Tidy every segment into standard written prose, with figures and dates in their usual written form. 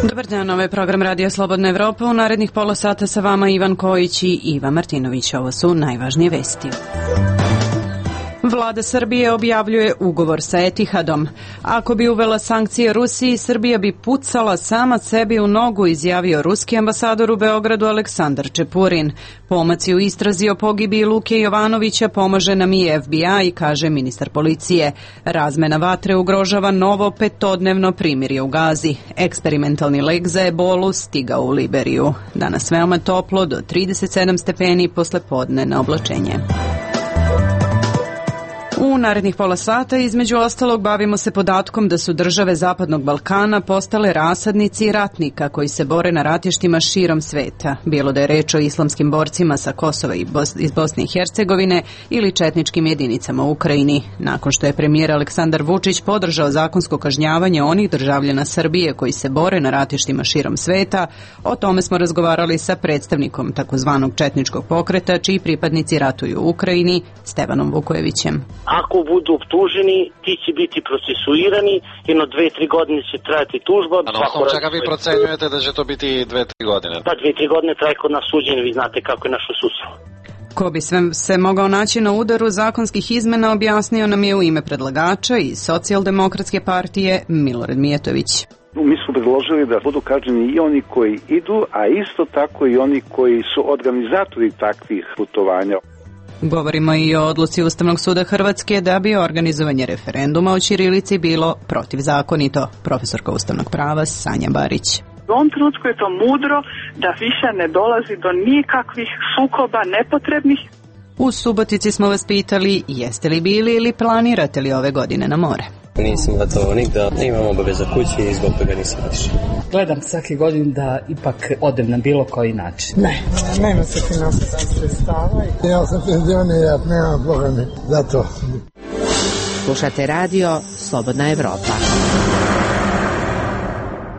Dobar dan, ovo je program Radio Slobodna Evropa. U narednih pola sata sa vama Ivan Kojić i Iva Martinović. Ovo su najvažnije vesti. Vlada Srbije objavljuje ugovor sa Etihadom. Ako bi uvela sankcije Rusiji, Srbija bi pucala sama sebi u nogu, izjavio ruski ambasador u Beogradu Aleksandar Čepurin. Pomaci u istrazi o pogibiji Luke Jovanovića pomaže nam i FBI, kaže ministar policije. Razmena vatre ugrožava novo 5-dnevno primirje u Gazi. Eksperimentalni lek za ebolu stigao u Liberiju. Danas veoma toplo, do 37 stepeni, posle podne na oblačenje. U narednih pola sata, između ostalog, bavimo se podatkom da su države Zapadnog Balkana postale rasadnici ratnika koji se bore na ratištima širom sveta, bilo da je reč o islamskim borcima sa Kosova i iz Bosne i Hercegovine ili četničkim jedinicama u Ukrajini. Nakon što je premijer Aleksandar Vučić podržao zakonsko kažnjavanje onih državljana Srbije koji se bore na ratištima širom sveta, o tome smo razgovarali sa predstavnikom takozvanog četničkog pokreta, čiji pripadnici ratuju u Ukrajini, Stevanom Vukojevićem. Ako budu optuženi, ti će biti procesuirani, jedno 2-3 godine će trajati tužba. A na osnovu čega vi procenjujete da će to biti 2-3 godine? Pa 2-3 godine traje kod nas suđenje, vi znate kako je naše sudstvo. Ko bi sve se mogao naći na udaru zakonskih izmena, objasnio nam je u ime predlagača iz Socijaldemokratske partije Milorad Mijatović. Mi smo predložili da budu kažnjeni i oni koji idu, a isto tako i oni koji su organizatori takvih putovanja. Govorimo i o odluci Ustavnog suda Hrvatske da bi organizovanje referenduma o ćirilici bilo protivzakonito. Profesorka ustavnog prava Sanja Barić. U ovom trenutku je to mudro da više ne dolazi do nikakvih sukoba nepotrebnih. U Subotici smo vas pitali jeste li bili ili planirate li ove godine na more. Nisam gotovo nigda, imam obaveza kući i zbog toga nisam otišao. Gledam svake godine da ipak odem na bilo koji način. Ne, nema se finansijskih sredstava. Ja sam penzioner, nema Boga mi za to. Slušate radio Slobodna Evropa.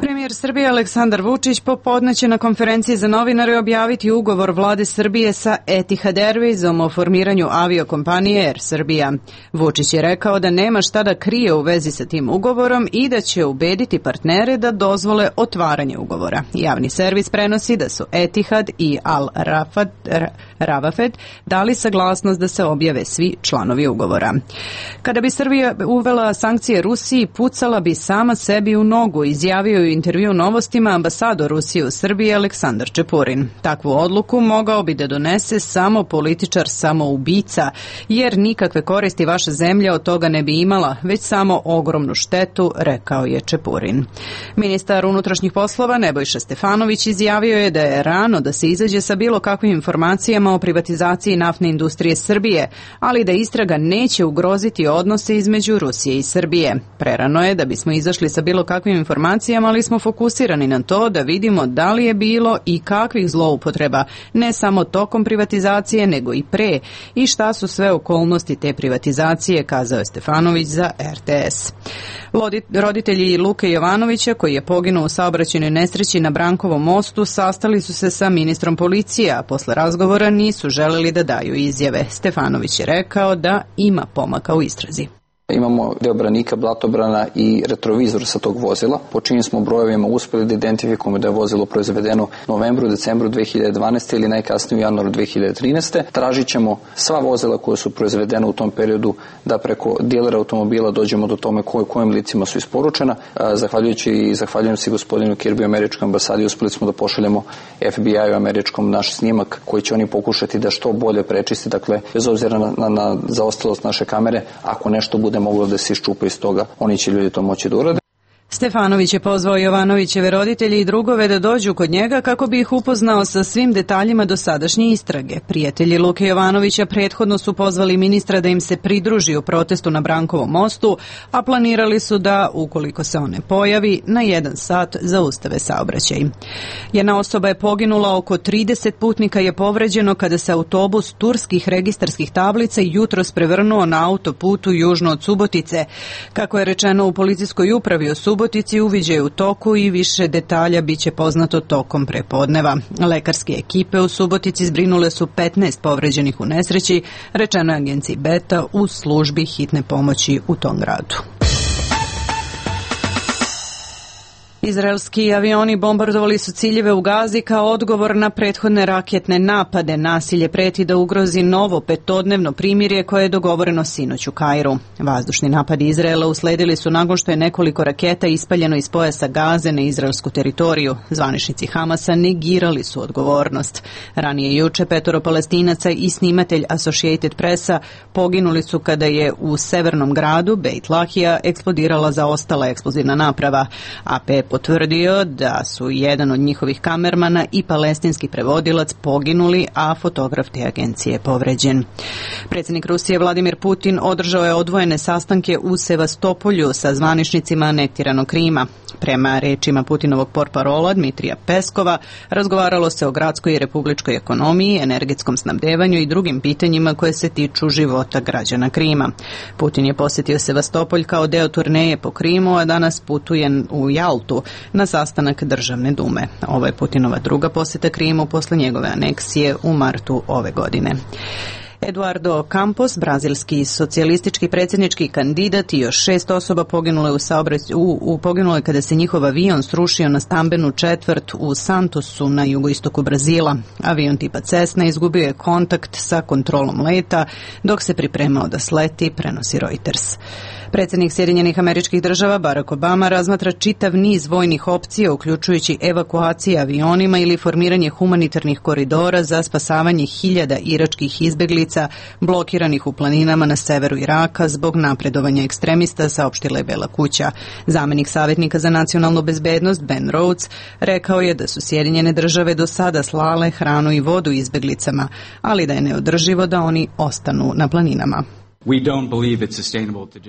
Premijer Srbije Aleksandar Vučić popodne će na konferenciji za novinare objaviti ugovor vlade Srbije sa Etihad Airwaysom o formiranju aviokompanije Air Srbija. Vučić je rekao da nema šta da krije u vezi sa tim ugovorom i da će ubediti partnere da dozvole otvaranje ugovora. Javni servis prenosi da su Etihad i Al Ravafed dali saglasnost da se objave svi članovi ugovora. Kada bi Srbija uvela sankcije Rusiji, pucala bi sama sebi u nogu, izjavio u intervju Novostima ambasador Rusije u Srbiji Aleksandar Čepurin. Takvu odluku mogao bi da donese samo političar samoubica, jer nikakve koristi vaša zemlja od toga ne bi imala, već samo ogromnu štetu, rekao je Čepurin. Ministar unutrašnjih poslova Nebojša Stefanović izjavio je da je rano da se izađe sa bilo kakvim informacijama o privatizaciji naftne industrije Srbije, ali da istraga neće ugroziti odnose između Rusije i Srbije. Prerano je da bismo izašli sa bilo kakvim informacijama, ali smo fokusirani na to da vidimo da li je bilo i kakvih zloupotreba, ne samo tokom privatizacije, nego i pre, i šta su sve okolnosti te privatizacije, kazao je Stefanović za RTS. Roditelji Luke Jovanovića, koji je poginuo u saobraćajnoj nesreći na Brankovom mostu, sastali su se sa ministrom policije, a posle razgovora nisu želeli da daju izjave. Stefanović je rekao da ima pomaka u istrazi. Imamo deo branika, blatobrana i retrovizor sa tog vozila. Po čijim smo brojevima uspeli da identifikujemo da je vozilo proizvedeno u novembru, decembru 2012. ili najkasnije u januaru 2013. Tražit ćemo sva vozila koja su proizvedena u tom periodu da preko dilera automobila dođemo do tome kojim licima su isporučena. Zahvaljujem se gospodinu Kirby američkoj ambasadi, uspeli smo da pošaljemo FBI-u američkom naš snimak koji će oni pokušati da što bolje prečisti, dakle bez obzira na zaostalost naše kamere, ako nešto bude moglo da se iščupa iz toga, oni će ljudi to moći da urade. Stefanović je pozvao Jovanovićeve roditelje i drugove da dođu kod njega kako bi ih upoznao sa svim detaljima dosadašnje istrage. Prijatelji Luke Jovanovića prethodno su pozvali ministra da im se pridruži u protestu na Brankovom mostu, a planirali su da, ukoliko se on ne pojavi, na 1 sat zaustave saobraćaj. Jedna osoba je poginula, oko 30 putnika je povređeno kada se autobus turskih registarskih tablica jutros prevrnuo na autoputu južno od Subotice. Kako je rečeno u policijskoj upravi u Subotici, uviđaj u toku i više detalja biće poznato tokom prepodneva. Lekarske ekipe u Subotici zbrinule su 15 povređenih u nesreći, rečeno je agenciji Beta u službi hitne pomoći u tom gradu. Izraelski avioni bombardovali su ciljeve u Gazi kao odgovor na prethodne raketne napade. Nasilje preti da ugrozi novo petodnevno primirje koje je dogovoreno sinoć u Kairu. Vazdušni napadi Izraela usledili su nakon što je nekoliko raketa ispaljeno iz pojasa Gaze na izraelsku teritoriju. Zvaničnici Hamasa negirali su odgovornost. Ranije juče 5 Palestinaca i snimatelj Associated Pressa poginuli su kada je u severnom gradu Beit Lahija eksplodirala zaostala eksplozivna naprava. AP potvrdio da su jedan od njihovih kamermana i palestinski prevodilac poginuli, a fotograf te agencije povređen. Predsjednik Rusije Vladimir Putin održao je odvojene sastanke u Sevastopolju sa zvaničnicima anektiranog Krima. Prema rečima Putinovog portparola Dmitrija Peskova, razgovaralo se o gradskoj i republičkoj ekonomiji, energetskom snabdevanju i drugim pitanjima koje se tiču života građana Krima. Putin je posjetio Sevastopolj kao deo turneje po Krimu, a danas putuje u Jaltu na sastanak Državne dume. Ovo je Putinova druga posjeta Krimu posle njegove aneksije u martu ove godine. Eduardo Campos, brazilski socijalistički predsjednički kandidat i još 6 osoba poginule kada se njihov avion srušio na stambenu četvrt u Santosu na jugoistoku Brazila. Avion tipa Cessna izgubio je kontakt sa kontrolom leta dok se pripremao da sleti, prenosi Reuters. Predsjednik Sjedinjenih Američkih Država Barack Obama razmatra čitav niz vojnih opcija, uključujući evakuacije avionima ili formiranje humanitarnih koridora za spasavanje hiljada iračkih izbjeglica blokiranih u planinama na severu Iraka zbog napredovanja ekstremista, saopštila je Bela kuća. Zamenik savjetnika za nacionalnu bezbednost Ben Rhodes rekao je da su Sjedinjene Države do sada slale hranu i vodu izbjeglicama, ali da je neodrživo da oni ostanu na planinama.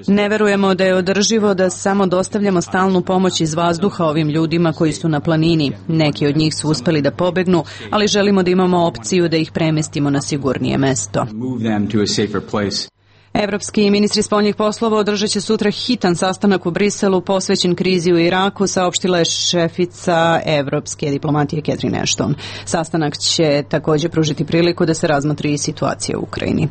Ne verujemo da je održivo da samo dostavljamo stalnu pomoć iz vazduha ovim ljudima koji su na planini. Neki od njih su uspeli da pobegnu, ali želimo da imamo opciju da ih premestimo na sigurnije mesto. Evropski ministri spoljnih poslova održat će sutra hitan sastanak u Briselu posvećen krizi u Iraku, saopštila je šefica evropske diplomatije Catherine Ashton. Sastanak će također pružiti priliku da se razmotri i situacija u Ukrajini.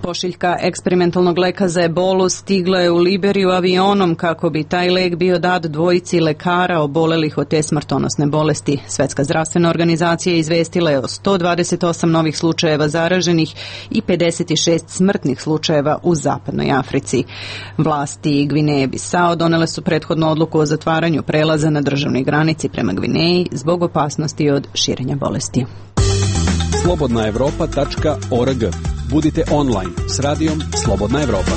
Pošiljka eksperimentalnog leka za ebolu stigla je u Liberiju avionom kako bi taj lek bio dat dvojici lekara obolelih od te smrtonosne bolesti. Svetska zdravstvena organizacija izvestila je o 128 novih slučajeva zaraženih i 56 smrtnih slučajeva u zapadnoj Africi. Vlasti Gvineje Bisao donele su prethodnu odluku o zatvaranju prelaza na državnoj granici prema Gvineji zbog opasnosti od širenja bolesti. slobodnaevropa.org. Budite online s radijom Slobodna Evropa.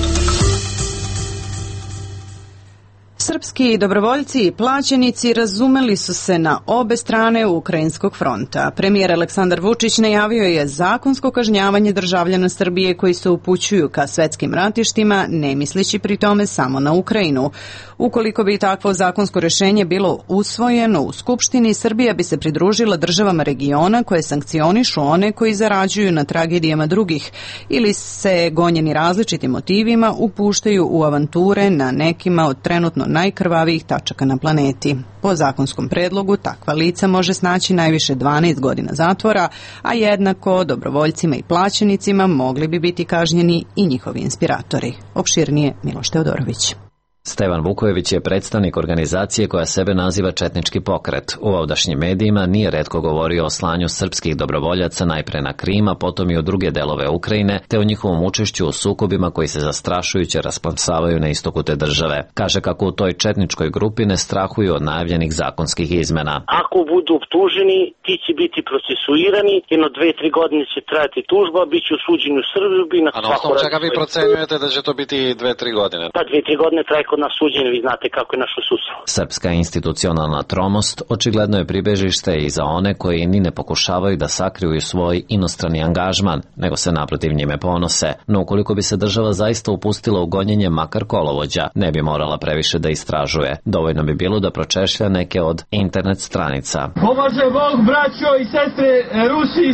Srpski dobrovoljci i plaćenici razumeli su se na obe strane ukrajinskog fronta. Premijer Aleksandar Vučić najavio je zakonsko kažnjavanje državljana Srbije koji se upućuju ka svetskim ratištima, ne misleći pri tome samo na Ukrajinu. Ukoliko bi takvo zakonsko rješenje bilo usvojeno u Skupštini, Srbija bi se pridružila državama regiona koje sankcionišu one koji zarađuju na tragedijama drugih ili se gonjeni različitim motivima upuštaju u avanture na nekima od trenutno najkrvavijih tačaka na planeti. Po zakonskom predlogu takva lica može snaći najviše 12 godina zatvora, a jednako dobrovoljcima i plaćenicima mogli bi biti kažnjeni i njihovi inspiratori. Opširnije Miloš Teodorović. Stevan Vukojević je predstavnik organizacije koja sebe naziva Četnički pokret. U ovdašnjim medijima nije retko govorio o slanju srpskih dobrovoljaca najpre na Krim, a potom i u druge delove Ukrajine, te o njihovom učešću u sukobima koji se zastrašujuće rasplamsavaju na istoku te države. Kaže kako u toj četničkoj grupi ne strahuju od najavljenih zakonskih izmena. Ako budu optuženi, ti će biti procesuirani, jedno 2-3 godine će trajati tužba, bit će osuđeni u Srbiji. A na osnovu čega vi procenjujete da će to biti 2-3 godine? Pa 2-3 godine traje kod nas suđenje, vi znate kako je naš sustav. Srpska institucionalna tromost očigledno je pribežište i za one koji ni ne pokušavaju da sakriju svoj inostrani angažman, nego se naprotiv njime ponose. No ukoliko bi se država zaista upustila u gonjenje makar kolovođa, ne bi morala previše da istražuje. Dovoljno bi bilo da pročešlja neke od internet stranica. Pomaže Bog, braćo i sestre, Rusi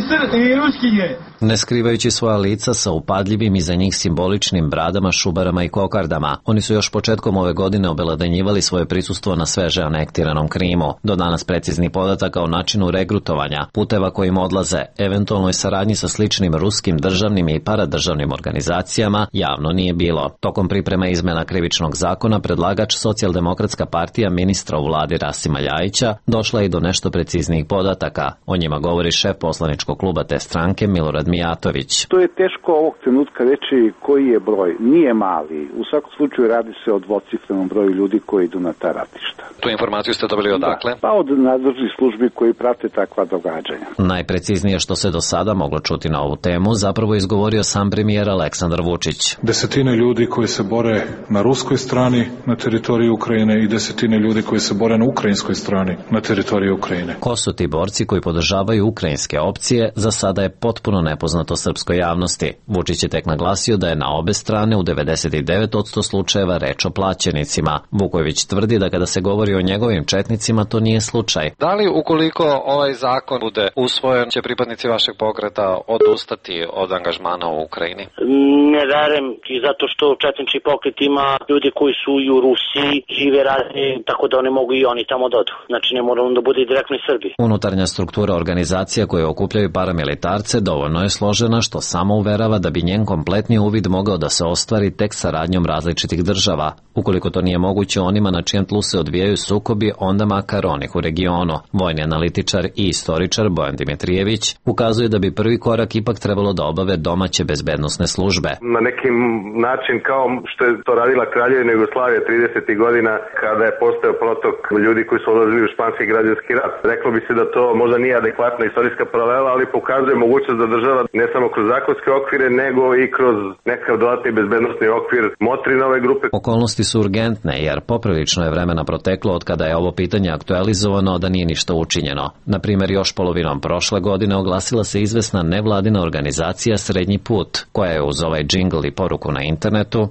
i Ruskinje. Ne skrivajući svoja lica sa upadljivim i za njih simboličnim bradama, šubarama i kokardama, oni su još početkom tokom ove godine obeledanjivali svoje prisustvo na sveže anektiranom Krimu. Do danas preciznih podataka o načinu regrutovanja, puteva kojim odlaze, eventualnoj saradnji sa sličnim ruskim državnim i paradržavnim organizacijama javno nije bilo. Tokom priprema izmena krivičnog zakona predlagač Socijaldemokratska partija ministra u vladi Rasima Ljajića došla i do nešto preciznijih podataka. O njima govori šef poslaničkog kluba te stranke Milorad Mijatović. To je teško ovog trenutka reći koji je broj. Nije mali. U svakom slučaju radi se o dvocifrenom broju ljudi koji idu na ta ratišta. Tu informaciju ste dobili odakle? Pa od nadležnih službi koji prate takva događanja. Najpreciznije što se do sada moglo čuti na ovu temu zapravo izgovorio sam premijer Aleksandar Vučić. Desetine ljudi koji se bore na ruskoj strani na teritoriji Ukrajine i desetine ljudi koji se bore na ukrajinskoj strani na teritoriji Ukrajine. Ko su ti borci koji podržavaju ukrajinske opcije, za sada je potpuno nepoznato srpskoj javnosti. Vučić je tek naglasio da je na obe strane u 99% slučajeva reč o plaćenicima. Vukojević tvrdi da kada se govori o njegovim četnicima to nije slučaj. Da li ukoliko ovaj zakon bude usvojen, će pripadnici vašeg pokreta odustati od angažmana u Ukrajini? Ne verujem, i zato što četnički pokret ima ljudi koji su i u Rusiji, žive radni, tako da oni mogu i oni tamo dodu. Znači ne moramo da bude direktno i Srbi. Unutarnja struktura organizacija koje okupljaju paramilitarce dovoljno je složena što samo uverava da bi njen kompletni uvid mogao da se ostvari tek saradnjom različitih država. Ukoliko to nije moguće onima na čijem tlu se odvijaju sukobi, onda makar onih u regionu. Vojni analitičar i istoričar Bojan Dimitrijević ukazuje da bi prvi korak ipak trebalo da obave domaće bezbednosne službe. Na neki način kao što je to radila Kraljevina Jugoslavija 30. godina kada je postao protok ljudi koji su odlazili u španski građanski rat. Reklo bi se da to možda nije adekvatna istorijska paralela, ali pokazuje mogućnost da država ne samo kroz zakonske okvire, nego i kroz nekakav dodatni bezbednosni okvir motri nove grupe. Okolnosti su urgentne jer poprilično je vremena proteklo od kada je ovo pitanje aktualizovano da nije ništa učinjeno. Na primjer, još polovinom prošle godine oglasila se izvesna nevladina organizacija Srednji put, koja je uz ovaj džingl i poruku na internetu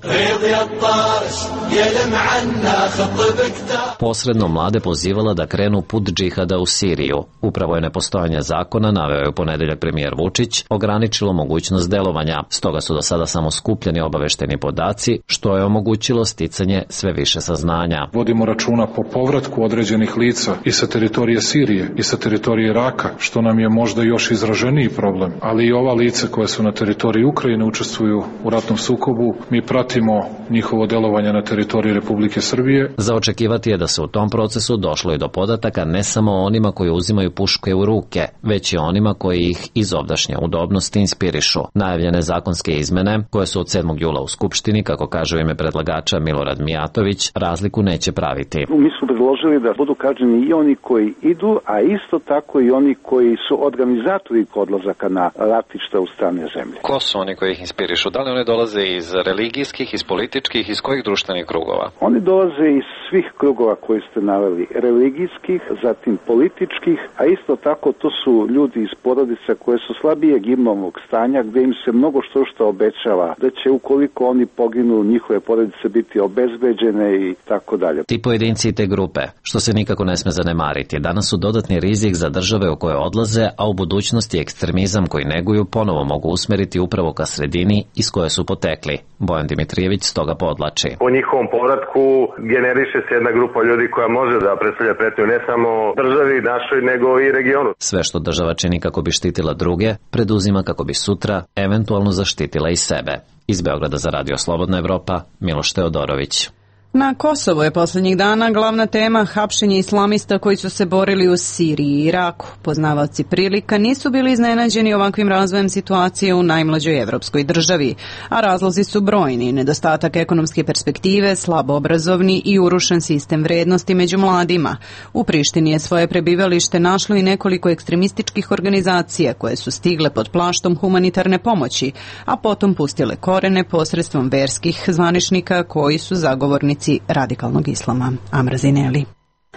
posredno mlade pozivala da krenu put džihada u Siriju. Upravo je nepostojanje zakona, naveo je u ponedeljak premijer Vučić, ograničilo mogućnost delovanja, stoga su do sada samo skupljeni obavešteni podaci, što je omogućilo sticanje sve više saznanja. Vodimo računa po povratku određenih lica i sa teritorije Sirije i sa teritorije Iraka, što nam je možda još izraženiji problem, ali i ova lica koja su na teritoriji Ukrajine učestvuju u ratnom sukobu, mi pratimo njihovo delovanje na teritoriji Republike Srbije. Za očekivati je da se u tom procesu došlo i do podataka ne samo onima koji uzimaju puške u ruke, već i onima koji ih iz ovdašnje udobnosti inspirišu. Najavljene zakonske izmene, koje su od 7. jula u Skupštini, kako kaže u ime predlagača Milorad Mijatović, razliku neće praviti. Mi smo predložili da budu kažnjeni i oni koji idu, a isto tako i oni koji su organizatori odlazaka na ratišta u strane zemlje. Ko su oni koji ih inspirišu? Da li oni dolaze iz religijskih, iz političkih, iz kojih društvenih krugova? Oni dolaze iz svih krugova koji ste naveli, religijskih, zatim političkih, a isto tako to su ljudi iz porodica koje su slabijeg imovnog stanja, gde im se mnogo što obećava, da će ukoliko oni poginu njihove porodice biti obezbeđene i tako dalje. Ti pojedinci i te grupe, što se nikako ne sme zanemariti, danas su dodatni rizik za države u koje odlaze, a u budućnosti ekstremizam koji neguju ponovo mogu usmeriti upravo ka sredini iz koje su potekli. Bojan Dimitrijević stoga podlači. Po njihovom povratku generiše se jedna grupa ljudi koja može da predstavlja pretnju ne samo državi našoj, nego i regionu. Sve što država čini kako bi štitila druge, preduzima kako bi sutra eventualno zaštitila i sebe. Iz Beograda za Radio Slobodna Evropa, Miloš Teodorović. Na Kosovo je posljednjih dana glavna tema hapšenje islamista koji su se borili u Siriji i Iraku. Poznavaoci prilika nisu bili iznenađeni ovakvim razvojem situacije u najmlađoj evropskoj državi, a razlozi su brojni: nedostatak ekonomske perspektive, slabo obrazovni i urušen sistem vrednosti među mladima. U Prištini je svoje prebivalište našlo i nekoliko ekstremističkih organizacija koje su stigle pod plaštom humanitarne pomoći, a potom pustile korene posredstvom verskih zvaničnika koji su zagovornici radikalnog islama. Amra Zineli.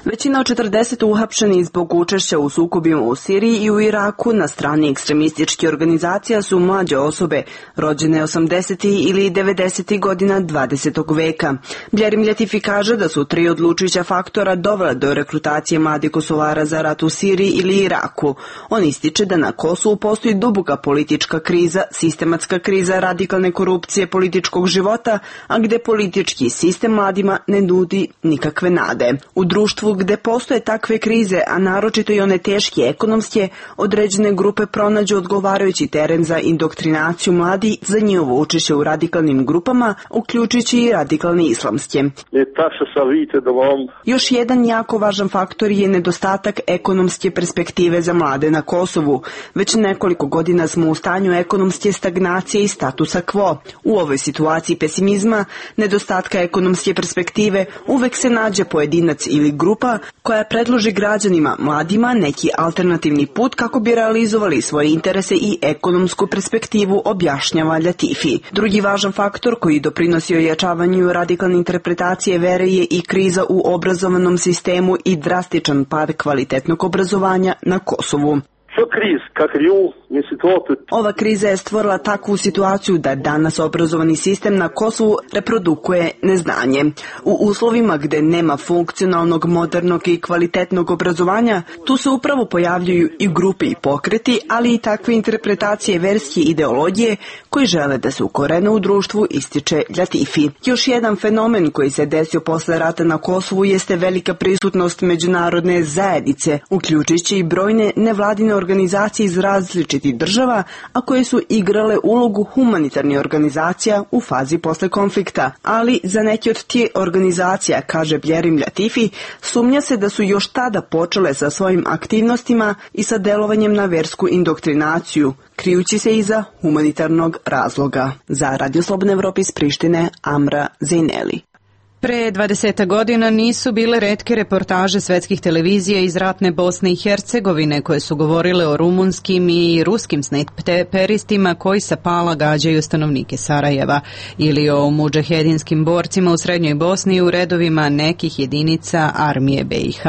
Većina od 40 uhapšenih zbog učešća u sukobima u Siriji i u Iraku na strani ekstremističkih organizacija su mlađe osobe, rođene 80. ili 90. godina 20. veka. Bjerim Ljatifi kaže da su 3 odlučujuća faktora dovela do rekrutacije mladih Kosovara za rat u Siriji ili Iraku. On ističe da na Kosovu postoji duboka politička kriza, sistematska kriza radikalne korupcije političkog života, a gde politički sistem mladima ne nudi nikakve nade. U društvu gde postoje takve krize, a naročito i one teške ekonomske, određene grupe pronađu odgovarajući teren za indoktrinaciju mladi za njihovo učešće u radikalnim grupama, uključujući i radikalne islamske. Još jedan jako važan faktor je nedostatak ekonomske perspektive za mlade na Kosovu. Već nekoliko godina smo u stanju ekonomske stagnacije i statusa quo. U ovoj situaciji pesimizma, nedostatka ekonomske perspektive, uvek se nađe pojedinac ili grupa koja predloži građanima, mladima, neki alternativni put kako bi realizovali svoje interese i ekonomsku perspektivu, objašnjava Ljatifi. Drugi važan faktor koji doprinosi ojačavanju radikalne interpretacije vere je i kriza u obrazovanom sistemu i drastičan pad kvalitetnog obrazovanja na Kosovu. Ova kriza je stvorila takvu situaciju da danas obrazovani sistem na Kosovu reprodukuje neznanje. U uslovima gde nema funkcionalnog, modernog i kvalitetnog obrazovanja, tu se upravo pojavljuju i grupe i pokreti, ali i takve interpretacije verske ideologije koji žele da se ukorene u društvu, ističe Ljatifi. Još jedan fenomen koji se desio posle rata na Kosovu jeste velika prisutnost međunarodne zajednice, uključujući i brojne nevladine organizacije iz različitih država, a koje su igrale ulogu humanitarnih organizacija u fazi posle konflikta. Ali za neke od tih organizacija, kaže Bjerim Ljatifi, sumnja se da su još tada počele sa svojim aktivnostima i sa delovanjem na versku indoktrinaciju, krijući se iza humanitarnog razloga. Za Radio Slobodna Evropa iz Prištine, Amra Zejneli. Pre 20 godina nisu bile retke reportaže svetskih televizija iz ratne Bosne i Hercegovine koje su govorile o rumunskim i ruskim snajperistima koji sa pala gađaju stanovnike Sarajeva ili o mudžahedinskim borcima u Srednjoj Bosni u redovima nekih jedinica armije BiH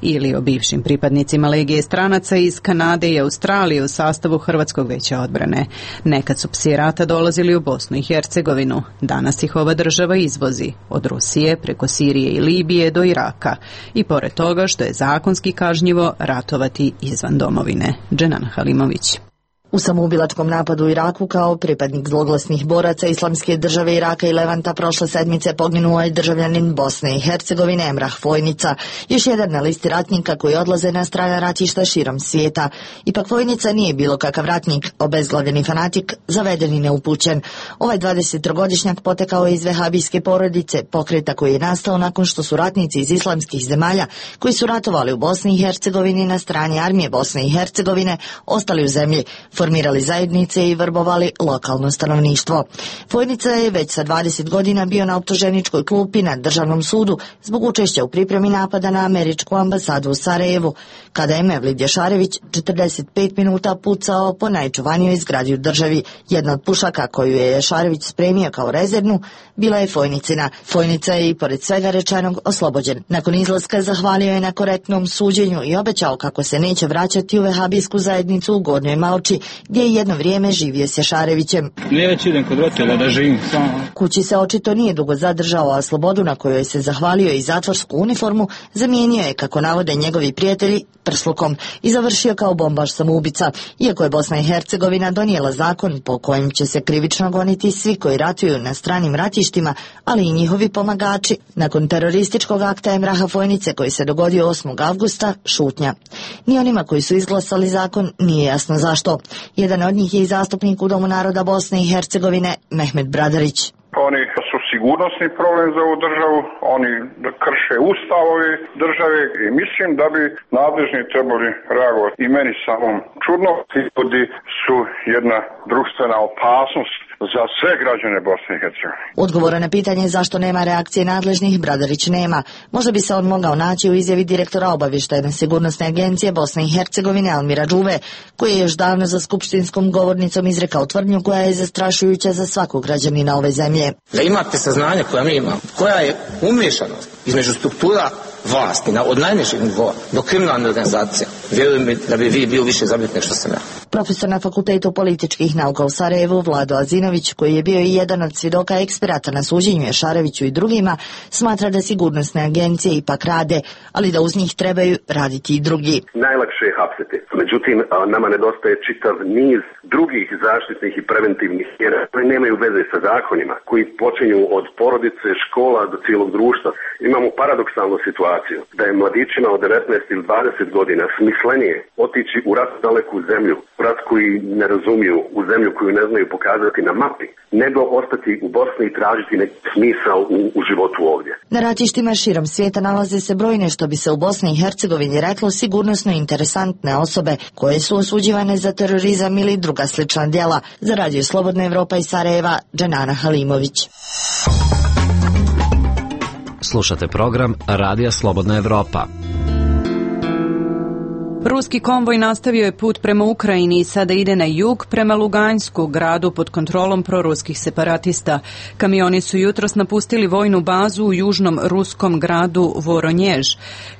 ili o bivšim pripadnicima Legije stranaca iz Kanade i Australije u sastavu Hrvatskog veća odbrane. Nekad su psi rata dolazili u Bosnu i Hercegovinu. Danas ih ova država izvozi od Rusije preko Sirije i Libije do Iraka i pored toga što je zakonski kažnjivo ratovati izvan domovine. Dženana Halimović. U samoubilačkom napadu u Iraku kao pripadnik zloglasnih boraca Islamske države Iraka i Levanta prošle sedmice poginuo je državljanin Bosne i Hercegovine Emrah Vojnica, još jedan na listi ratnika koji odlaze na strana ratišta širom svijeta. Ipak Vojnica nije bilo kakav ratnik, obezglavljeni fanatik, zaveden i neupućen. Ovaj 23-godišnjak potekao je iz vehabijske porodice, pokreta koji je nastao nakon što su ratnici iz islamskih zemalja koji su ratovali u Bosni i Hercegovini na strani armije Bosne i Hercegovine ostali u zemlji, formirali zajednice i vrbovali lokalno stanovništvo. Vojnica je već sa 20 godina bio na optuženičkoj klupi na državnom sudu zbog učešća u pripremi napada na američku ambasadu u Sarajevu, kada je Mevlid Jašarević 45 minuta pucao po najčuvanijoj zgradi u državi. Jedna od pušaka koju je Jašarević spremio kao rezervnu bila je Vojnicina. Vojnica je i pored svega rečenog oslobođen. Nakon izlaska zahvalio je na korektnom suđenju i obećao kako se neće vraćati u vehabijsku zajednicu u Gornjoj Malči, gdje je jedno vrijeme živio s Jašarevićem. Neću idem kod roditelja da živim samo. Kući se očito nije dugo zadržao, a slobodu na kojoj se zahvalio i zatvorsku uniformu zamijenio je, kako navode njegovi prijatelji, prslukom i završio kao bombaš samoubica, iako je Bosna i Hercegovina donijela zakon po kojem će se krivično goniti svi koji ratuju na stranim ratištima, ali i njihovi pomagači. Nakon terorističkog akta Emraha Vojnice koji se dogodio 8. avgusta, šutnja. Ni onima koji su izglasali zakon nije jasno zašto. Jedan od njih je i zastupnik u Domu naroda Bosne i Hercegovine, Mehmet Bradarić. Oni su sigurnosni problem za ovu državu, oni krše ustav ove države i mislim da bi nadležni trebali reagovati. I meni samo čudno, ti ljudi su jedna društvena opasnost za sve građane Bosne i Hercegovine. Odgovora na pitanje zašto nema reakcije nadležnih Bradarić nema. Možda bi se on mogao naći u izjavi direktora obavještajne sigurnosne agencije Bosne i Hercegovine Almira Džuve, koji je još davno za skupštinskom govornicom izrekao tvrdnju koja je zastrašujuća za svakog građanina ove zemlje. Da imate saznanje koja mi imamo, koja je umiješanost između struktura vlasti od najnižeg nivoa do kriminalne organizacije, vjerujem mi da bi vi bio više zabrinut nego što sam ja. Profesor na Fakultetu političkih nauka u Sarajevu Vlado Azinović, koji je bio i jedan od svjedoka eksperata na suđenju Jašareviću i drugima, smatra da sigurnosne agencije ipak rade, ali da uz njih trebaju raditi i drugi. Najlakše je hapsiti. Međutim, nama nedostaje čitav niz drugih zaštitnih i preventivnih mjera koje nemaju veze sa zakonima, koji počinju od porodice, škola do cijelog društva. Imamo paradoksalnu situaciju da je mladićima od 19 ili 20 godina smislenije otići u rat daleku zemlju, u rat koji ne razumiju, u zemlju koju ne znaju pokazati na mapi, nego ostati u Bosni i tražiti neki smisao u životu ovdje. Na ratištima širom svijeta nalaze se brojne, što bi se u Bosni i Hercegovini reklo, sigurnosno interesantne osobe koje su osuđivane za terorizam ili druga slična djela. Za Radio Slobodna Evropa iz Sarajeva, Dženana Halimović. Slušate program Radija Slobodna Evropa. Ruski konvoj nastavio je put prema Ukrajini i sada ide na jug prema Lugansku, gradu pod kontrolom proruskih separatista. Kamioni su jutros napustili vojnu bazu u južnom ruskom gradu Voronjež.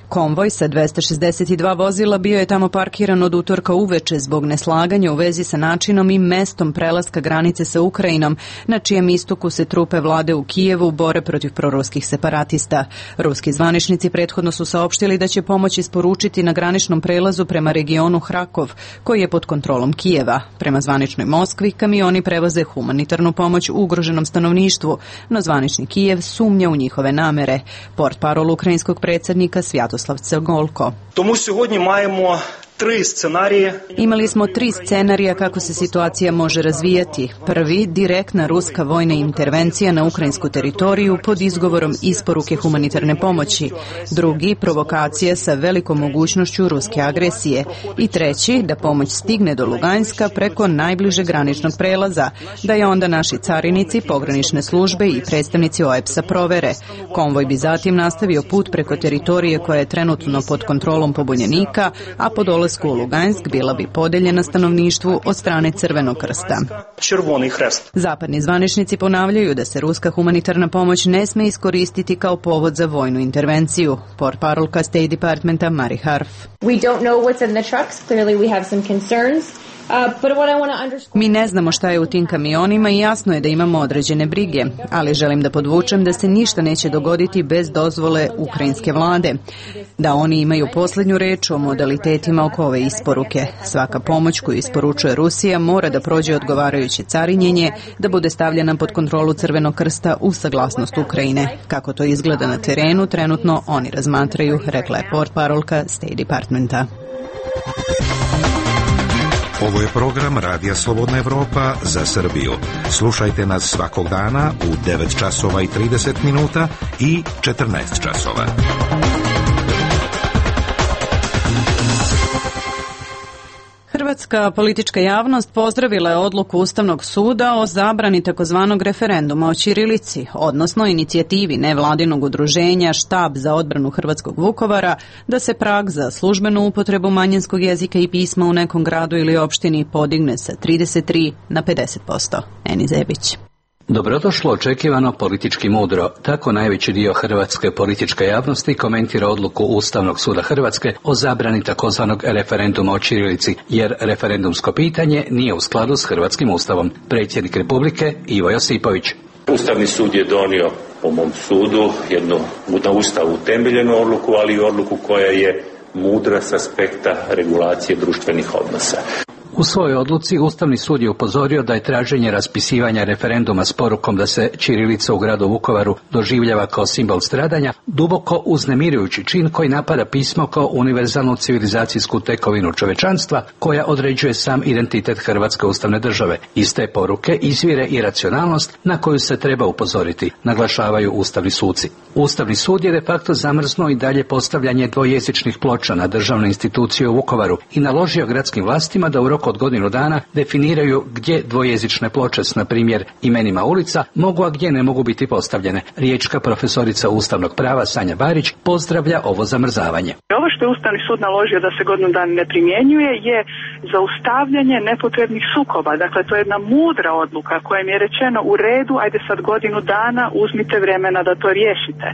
Konvoj sa 262 vozila bio je tamo parkiran od utorka uveče zbog neslaganja u vezi sa načinom i mestom prelaska granice sa Ukrajinom, na čijem istoku se trupe vlade u Kijevu bore protiv proruskih separatista. Ruski zvaničnici prethodno su saopštili da će pomoć isporučiti na graničnom prelazu prema regionu Hrakov, koji je pod kontrolom Kijeva. Prema zvaničnoj Moskvi, kamioni prevoze humanitarnu pomoć ugroženom stanovništvu, no zvanični Kijev sumnja u njihove namere. Portparol ukrajinskog predsjednika Svjatoslav Cegolko. Тому сьогодні маємо 3 сценарії. Imali smo 3 scenarija kako se situacija može razvijati. Prvi, direktna ruska vojna intervencija na ukrajinsku teritoriju pod izgovorom isporuke humanitarne pomoći. Drugi, provokacija sa velikom mogućnošću ruske agresije. I treći, da pomoć stigne do Luganska preko najbližeg graničnog prelaza, da je onda naši carinici, pogranične službe i predstavnici OEBS-a provere. Konvoj bi zatim nastavio put preko teritorije koja je trenutno pod kontrolom pobunjenika, a po dolasku u Lugansk bila bi podeljena stanovništvu od strane Crvenog krsta. Zapadni zvaničnici ponavljaju da se ruska humanitarna pomoć ne sme iskoristiti kao povod za vojnu intervenciju. Portparolka State Departmenta Mari Harf. We don't know what's in the trucks. Clearly we have some concerns. Mi ne znamo šta je u tim kamionima i jasno je da imamo određene brige, ali želim da podvučem da se ništa neće dogoditi bez dozvole ukrajinske vlade, da oni imaju posljednju reč o modalitetima oko ove isporuke. Svaka pomoć koju isporučuje Rusija mora da prođe odgovarajuće carinjenje, da bude stavljena pod kontrolu Crvenog krsta uz saglasnost Ukrajine. Kako to izgleda na terenu, trenutno oni razmatraju, rekla je portparolka State Departmenta. Ovo je program Radija Slobodna Evropa za Srbiju. Slušajte nas svakog dana u 9 časova i 30 minuta i 14 časova. Hrvatska politička javnost pozdravila je odluku Ustavnog suda o zabrani takozvanog referenduma o ćirilici, odnosno inicijativi nevladinog udruženja Štab za odbranu hrvatskog Vukovara da se prag za službenu upotrebu manjinskog jezika i pisma u nekom gradu ili opštini podigne sa 33 na 50%. Eni Zebić. Dobrodošlo, očekivano, politički mudro. Tako najveći dio hrvatske političke javnosti komentira odluku Ustavnog suda Hrvatske o zabrani takozvanog referenduma o ćirilici, jer referendumsko pitanje nije u skladu s hrvatskim ustavom. Predsjednik Republike Ivo Josipović. Ustavni sud je donio, po mom sudu, jednu na Ustavu utemeljenu odluku, ali i odluku koja je mudra s aspekta regulacije društvenih odnosa. U svojoj odluci Ustavni sud je upozorio da je traženje raspisivanja referenduma s porukom da se ćirilica u gradu Vukovaru doživljava kao simbol stradanja duboko uznemirujući čin koji napada pismo kao univerzalnu civilizacijsku tekovinu čovečanstva koja određuje sam identitet Hrvatske ustavne države. Iz te poruke izvire i racionalnost na koju se treba upozoriti, naglašavaju ustavni suci. Ustavni sud je de facto zamrznuo i dalje postavljanje dvojezičnih ploča na državne institucije u Vukovaru i naložio gradskim vlastima da u roku rok od godinu dana definiraju gdje dvojezične ploče s, na primjer, imenima ulica mogu, a gdje ne mogu biti postavljene. Riječka profesorica ustavnog prava Sanja Barić pozdravlja ovo zamrzavanje. Ovo što je Ustavni sud naložio da se godinu dana ne primjenjuje je zaustavljanje nepotrebnih sukoba. Dakle, to je jedna mudra odluka kojom je rečeno u redu, ajde sad godinu dana, uzmite vremena da to riješite.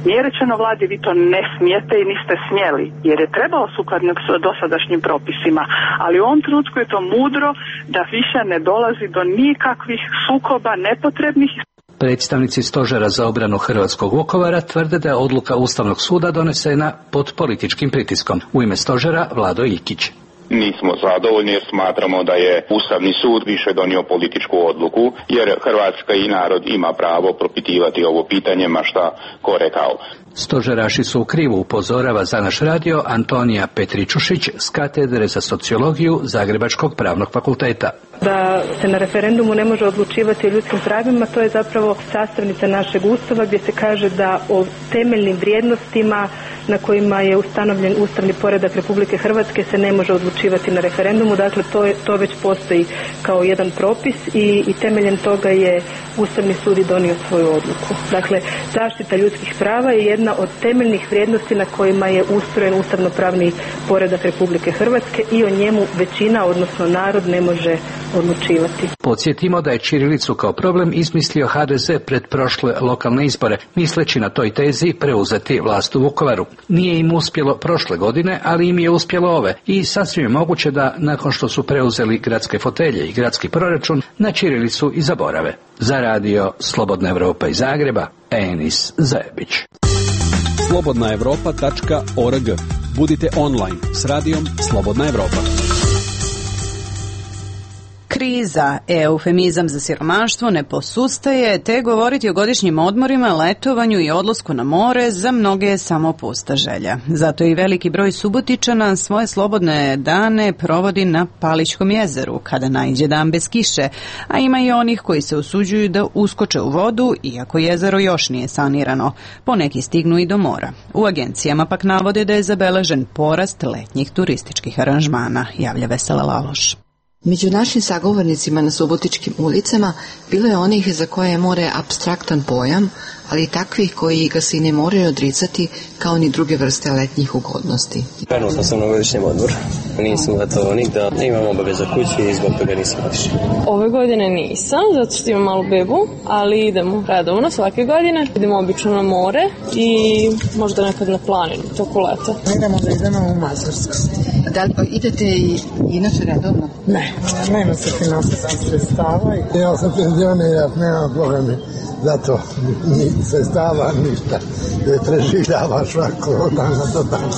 Nije rečeno vladi vi to ne smijete i niste smjeli, jer je trebalo sukladno dosadašnjim propisima, ali u ovom trenutku je to mudro da više ne dolazi do nikakvih sukoba nepotrebnih. Predstavnici Stožera za obranu hrvatskog Vukovara tvrde da je odluka Ustavnog suda donesena pod političkim pritiskom. U ime Stožera Vlado Ikić. Nismo zadovoljni jer smatramo da je Ustavni sud više donio političku odluku, jer Hrvatska i narod ima pravo propitivati ovo pitanje, ma šta ko rekao. Stožeraši su u krivu, upozorava za naš radio Antonija Petričušić s katedre za sociologiju Zagrebačkog pravnog fakulteta. Da se na referendumu ne može odlučivati o ljudskim pravima, to je zapravo sastavnica našeg Ustava gdje se kaže da o temeljnim vrijednostima na kojima je ustanovljen ustavni poredak Republike Hrvatske se ne može odlučivati na referendumu. Dakle, to već postoji kao jedan propis i temeljem toga je Ustavni sud i donio svoju odluku. Dakle, zaštita ljudskih prava je jedna od temeljnih vrijednosti na kojima je ustrojen ustavno-pravni poredak Republike Hrvatske i o njemu većina, odnosno narod, ne može odlučivati. Podsjetimo da je ćirilicu kao problem izmislio HDZ pred prošle lokalne izbore, misleći na toj tezi preuzeti vlast u Vukovaru. Nije im uspjelo prošle godine, ali im je uspjelo ove i sasvim je moguće da nakon što su preuzeli gradske fotelje i gradski proračun na ćirilicu i zaborave. Za radio Slobodna Evropa iz Zagreba, Enis Zajebić. slobodnaevropa.org. Budite online s radijom Slobodna Evropa. Kriza, eufemizam za siromaštvo, ne posustaje, te govoriti o godišnjim odmorima, letovanju i odlasku na more za mnoge je samo pusta želja. Zato i veliki broj Subotičana svoje slobodne dane provodi na Palićkom jezeru, kada naiđe dan bez kiše, a ima i onih koji se usuđuju da uskoče u vodu, iako jezero još nije sanirano. Poneki stignu i do mora. U agencijama pak navode da je zabeležen porast letnjih turističkih aranžmana, javlja Vesela Laloš. Među našim sagovornicima na subotičkim ulicama bilo je onih za koje je more apstraktan pojam, ali i takvih koji ga se i ne moraju odricati kao ni druge vrste letnjih ugodnosti. Krenuo sam se na godišnjem odmoru. Nisam letovao nigda, imam obaveza kući i zbog toga nisam otišao. Ove godine nisam, zato što imam malu bebu, ali idemo redovno svake godine. Idemo obično na more i možda nekad na planinu, toko leta. Idemo da idemo u Mađarsku. Da li idete i inače redovno? Ne, nema se finansijskih sredstava. Ja sam penzioner, nema problemi. Zato ni sredstava, ništa. Preživljava svako dana do dana.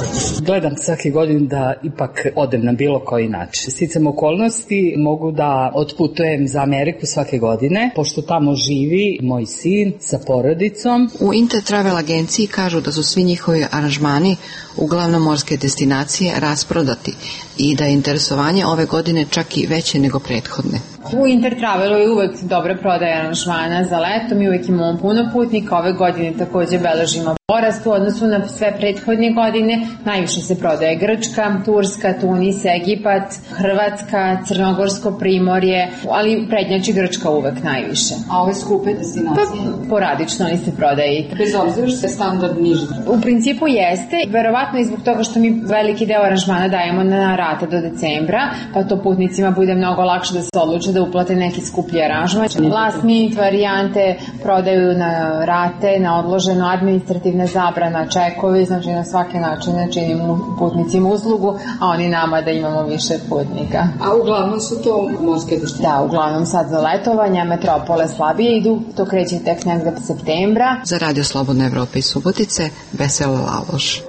Gledam svake godine da ipak odem na bilo koji način. Sticam okolnosti, mogu da otputujem za Ameriku svake godine, pošto tamo živi moj sin sa porodicom. U Intertravel agenciji kažu da su svi njihovi aranžmani, uglavnom morske destinacije, rasprodati i da je interesovanje ove godine čak i veće nego prethodne. U Intertravelu je uvek dobra prodaja aranžmana za leto, mi uvek imamo puno putnika, ove godine takođe beležimo porast u odnosu na sve prethodne godine. Najviše se prodaje Grčka, Turska, Tunis, Egipat, Hrvatska, Crnogorsko primorje, ali prednjači Grčka uvek najviše. A ove skupe destinacije? Pa, poradično li se prodaje i bez obzira što je standard niži? U principu jeste, verovatno i zbog toga što mi veliki deo aranžmana dajemo na rate do decembra, pa to putnicima bude mnogo lakše da se odluče da uplate neki skuplji aranžman. Last minute varijante prodaju na rate, na odloženo, administrativna zabrana, čekovi, znači na svake načine činimo putnicima uslugu, a oni nama da imamo više putnika. A uglavnom su to morske destinacije? Da, uglavnom sad za letovanja, metropole slabije idu, to kreće tek negde septembra. Za Radio Slobodna Evropa iz Subotice, Vesela Laloš.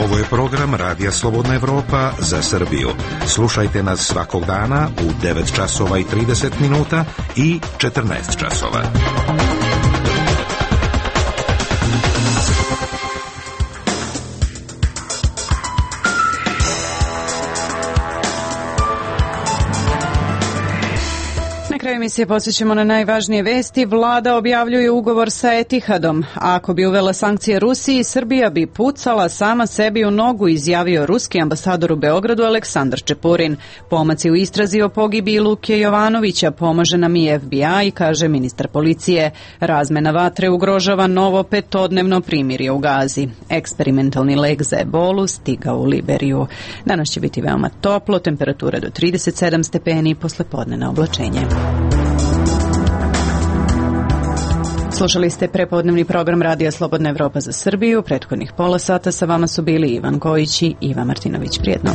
Ovo je program Radija Slobodna Evropa za Srbiju. Slušajte nas svakog dana u 9 časova i 30 minuta i 14 časova. kraju emisije posjećamo na najvažnije vesti. Vlada objavljuje ugovor sa Etihadom. Ako bi uvela sankcije Rusiji, Srbija bi pucala sama sebi u nogu, izjavio ruski ambasador u Beogradu Aleksandar Čepurin. Pomaci u istrazi o pogibiji Luke Jovanovića pomaže nam i FBI, kaže ministar policije. Razmena vatre ugrožava novo 5-dnevno primirje u Gazi. Eksperimentalni lek za ebolu stigao u Liberiju. Danas će biti veoma toplo, temperatura do 37 stepeni, poslepodnevno oblačenje. Slušali ste prepodnevni program Radija Slobodna Evropa za Srbiju. Prethodnih pola sata sa vama su bili Ivan Kojić i Iva Martinović. Prijetno.